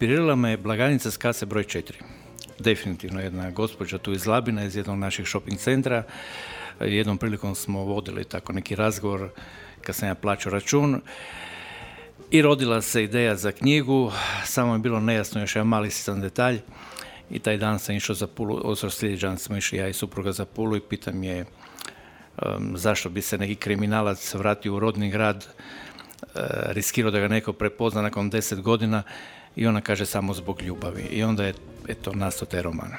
Inspirirala me blagajnica s kase broj 4. Definitivno jedna gospođa tu iz Labina, iz jednog naših shopping centra. Jednom prilikom smo vodili tako neki razgovor kad sam ja plaćao račun i rodila se ideja za knjigu, samo je bilo nejasno još jedan mali sitan detalj i taj dan sam išao za Pulu, sljedeći dan smo išli ja i supruga za Pulu i pitam je zašto bi se neki kriminalac vratio u rodni grad, riskirao da ga neko prepozna nakon 10 godina i ona kaže samo zbog ljubavi. I onda je nastao taj roman.